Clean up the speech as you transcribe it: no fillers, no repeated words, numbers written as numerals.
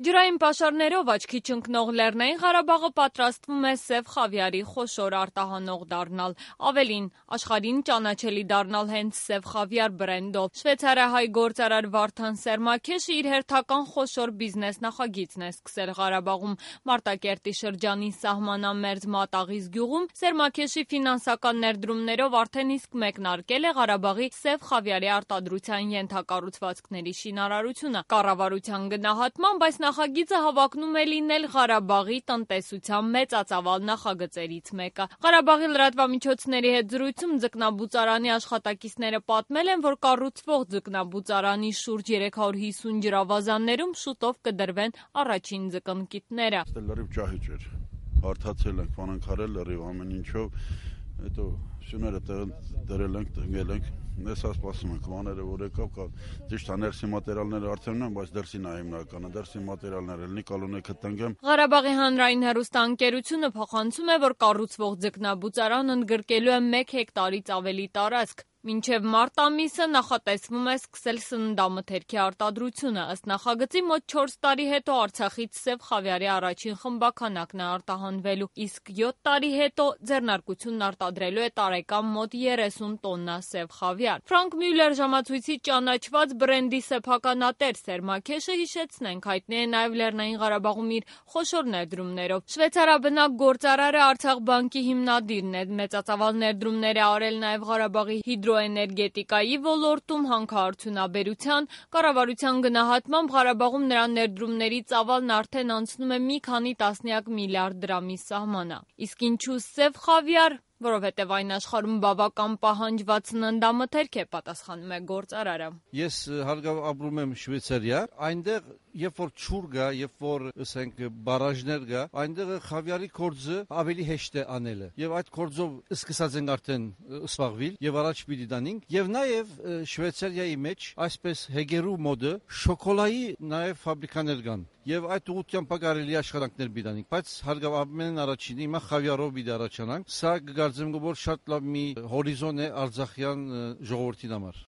Ջրային պաշարներով աչքի չընկնող Լեռնային Ղարաբաղը պատրաստվում է սև խավիարի խոշոր արտահանող դառնալ, ավելին, աշխարհին ճանաչելի դառնալ հենց սև խավիար բրենդով։ Շվեյցարահայ գործարար Վարդան Սերմաքեշը իր հերթական խոշոր բիզնես նախագիծն է սկսել Ղարաբաղում։ Մարտակերտի շրջանի սահմանամերձ Մատաղիս գյուղում Սերմաքեշի ֆինանսական ներդրումներով արդեն իսկ մեկնարկել է Ղարաբաղի սև խավիարի արտադրության ենթակառուցվածքների շինարարությունը։ Կառավարության գնահատմամբ այս նախագիծը հավակնում է լինել Ղարաբաղի տնտեսության մեծածավալ նախագծերից մեկը։ Ղարաբաղի լրատվամիջոցների հետ զրույցում ձկնաբուծարանի աշխատակիցները պատմել են, որ կառուցվող ձկնաբուծարանի շուրջ 350 ջրավազաններում շուտով կդրվեն առաջին ձկնկիտները։ Լրիվ ճահիճ էր, հարթացել ենք, բանանքարել լրիվ ամեն ինչով, հետո շուները դրել ենք, տնկել ենք։ Ես սպասում ենք մաները, որ եկավ, ճիշտ է ներսի մատերիալները արդեն ունեմ, բայց դրսին է հիմնականը, դրսի մատերիալները լինի կալոնեքը տնկեմ։ Ղարաբաղի հանրային հեռուստաընկերությունը փոխանցում է, որ կառուցվող ձկնաբուծարանը ընդգրկելու է 1 հեկտարից ավելի տարածք։ Մինչև մարտ ամիսը նախատեսվում է սկսել սննդամթերքի արտադրությունը։ Ըստ նախագծի մոտ 4 տարի հետո Արցախից սև խավիարի առաջին խմբաքանակն է արտահանվելու, իսկ 7 տարի հետո ձեռնարկությունն արտադրելու է տարեկան մոտ 30 տոննա սև խավիար։ Ֆրանկ Մյուլլեր ժամացույցի ճանաչված բրենդի սեփականատեր Սերմաքեշը, հիշեցնենք, հայտնի է նաև Լեռնային Ղարաբաղում իր խոշոր ներդրումներով։ Շվեյցարաբնակ գործարարը Արցախ բանկի հիմնադիրն է, մեծածավալ ներդրումներ է արել նաև Ղարաբաղի հիդրոէներգետիկայի ոլորտում, հանքարդյունաբերության։ Կառավարության գնահատմամբ Ղարաբաղում նրա ներդրումների ծավալն արդեն անցնում է մի քանի տասնյակ միլիարդ դրամի սահմանը։ Իսկ ինչու սև խավիար, որովհետև այն աշխարհում բավական պահանջված սննդամթերք է, պատասխանում է գործարարը։ Ես հարգավ ապրում եմ Շվեյցարիա, այնտեղ երբ որ ջուր գա, երբ որ ասենք բարաժներ գա, այնտեղ խավիարի գործը ավելի հեշտ է անելը։ Եվ այդ գործով սկսած ենք արդեն սպաղվել եւ առաջ պիտի դանենք։ Եվ նաեւ Շվեյցարիայի մեջ այսպես հեգերու մոդը շոկոլայի նաեւ ֆաբրիկաներ կան։ Եվ այդ ուղղությամբ կարելի աշխատանքներ բիդանենք, բայց հարգավ ամեն առաջինը հիմա խավիարով պիտի առաջանանք։ Սա կգարձեմ, որ շատ լավ մի հորիզոն է արցախյան ժողովրդի համար։